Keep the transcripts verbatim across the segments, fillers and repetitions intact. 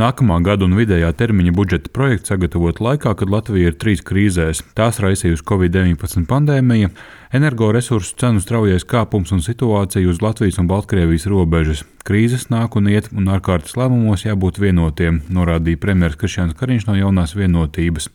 Nākamā gada un vidējā termiņa budžeta projekts sagatavot laikā, kad Latvija ir trīs krīzēs. Tās raisījusi covid deviņpadsmit pandēmija, energoresursu cenu straujais kāpums un situācija uz Latvijas un Baltkrievijas robežas. Krīzes nāk un iet, un ārkārtas lēmumos jābūt vienotiem, norādīja premjeras Krišjāns Kariņš no Jaunās Vienotības.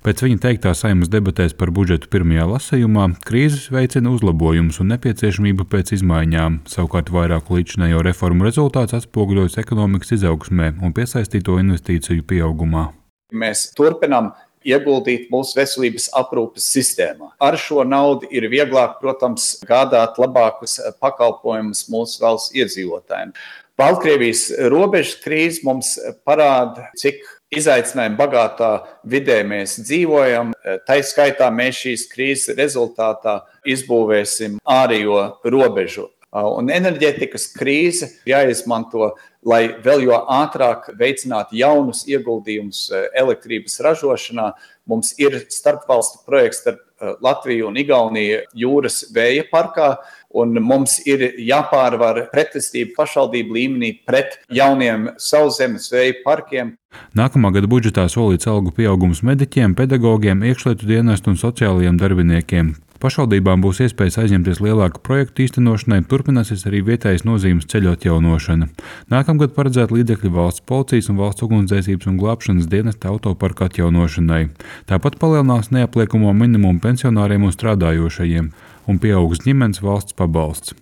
Pēc viņa teiktā Saeimas debatēs par budžetu pirmajā lasījumā, krīzes veicina uzlabojumus un nepieciešamību pēc izmaiņām. Savukārt vairāku līdzinējo reformu rezultāts atspoguļojas ekonomikas izaugsmē un piesaistīto investīciju pieaugumā. Mēs turpinām ieguldīt mūsu veselības aprūpes sistēmā. Ar šo naudu ir vieglāk, protams, gādāt labākus pakalpojumus mūsu valsts iedzīvotājiem. Baltkrievijas robežas krīze mums parāda, cik izaicinājumu bagātā vidē mēs dzīvojam. Tā skaitā mēs šīs krīzes rezultātā izbūvēsim ārējo robežu. Un enerģētikas krīze jāizmanto, lai vēl jo ātrāk veicinātu jaunus ieguldījumus elektrības ražošanā. Mums ir starpvalstu projekts starp Latviju un Igauniju jūras vēja parkā, un mums ir jāpārvar pretestība pašvaldību līmenī pret jauniem sauszemes vēja parkiem. Nākamā gada budžetā solīts algu pieaugums mediķiem, pedagogiem, iekšlietu dienestu un sociālajiem darbiniekiem. Pašvaldībām būs iespējas aizņemties lielāku projektu īstenošanai, turpināsies arī vietējas nozīmes ceļu atjaunošana. Nākamgad paredzēta līdzekļi valsts policijas un valsts ugunsdzēsības un glābšanas dienesta autoparka atjaunošanai. Tāpat palielinās neapliekamo minimumu pensionāriem un strādājošajiem, un pieaugs ģimenes valsts pabalsts.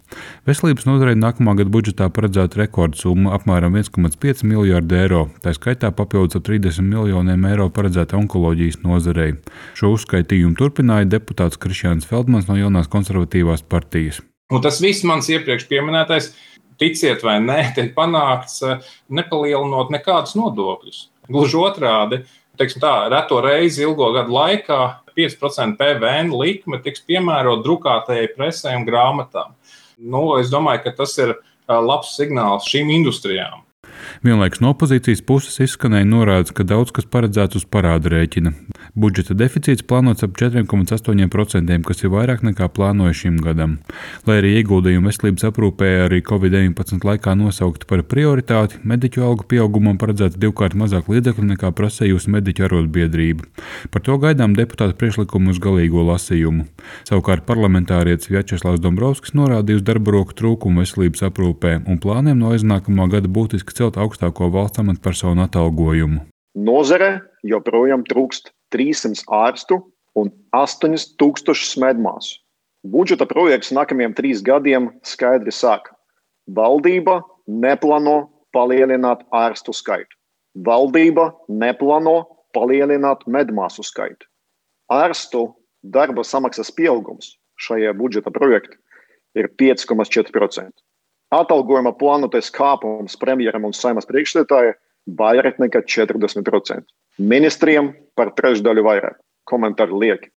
Veselības nozarei nākamā gada budžetā paredzēta rekordsumma apmēram viens komats pieci miljārdi eiro, tā skaitā papildus ap trīsdesmit miljoniem eiro paredzēta onkoloģijas nozarei. Šo uzskaitījumu turpināja deputāts Krišjāns Feldmans no Jaunās konservatīvās partijas. Un tas viss mans iepriekš pieminētais, ticiet vai nē, tiek panākts nepalielinot nekādus nodokļus. Gluži otrādi, teiksim tā, reto reizi ilgo gadu laikā pieci procenti P V N likme tiks piemērot drukātajai presē un grāmatām. Nu, es domāju, ka tas ir labs signāls šīm industrijām. Vienlaikus no opozīcijas puses izskanēja norādes, ka daudz kas paredzēts uz parāda rēķina. Budžeta deficīts plānots ap četri komats astoņi procenti, kas ir vairāk nekā plānoja šim gadam. Lai arī ieguldījumi veselības aprūpē arī covid deviņpadsmit laikā nosaukti par prioritāti, mediķu algu pieaugumam paredzēts divkārt mazāk līdzekļu nekā prasījusi mediķu arotbiedrība. Par to gaidām deputātu priekšlikumu uz galīgo lasījumu. Savukārt parlamentārietis Vjačeslavs Dombrovskis norādīja uz darba roku trūkumu veselības aprūpē un plāniem no aiznākamā gada būtiski celt augstāko valsts amatpersonu atalgojumu. Nozare joprojām trūkst trīssimts ārstu un astoņi tūkstoši medmāsu. Budžeta projekts nākamajiem trīs gadiem skaidri saka, valdība neplāno palielināt ārstu skaitu. Valdība neplāno palielināt medmāsu skaitu. Ārstu darba samaksas pieaugums šajā budžeta projektā ir pieci komats četri procenti. Atalgojuma plānotais kāpums premjeram un Saeimas priekšsēdētājai vairāk nekā četrdesmit procenti. Ministriem par trešdaļu vairāk. Komentāri lieki.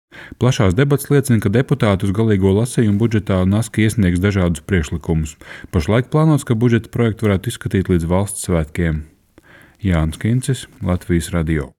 Plašās debats liecina, ka deputāti uz galīgo lasījumu budžetā Naski iesniegs dažādus priekšlikumus. Pašlaik plānots, ka budžeta projektu varētu izskatīt līdz valsts svētkiem. Jānis Kincis, Latvijas radio.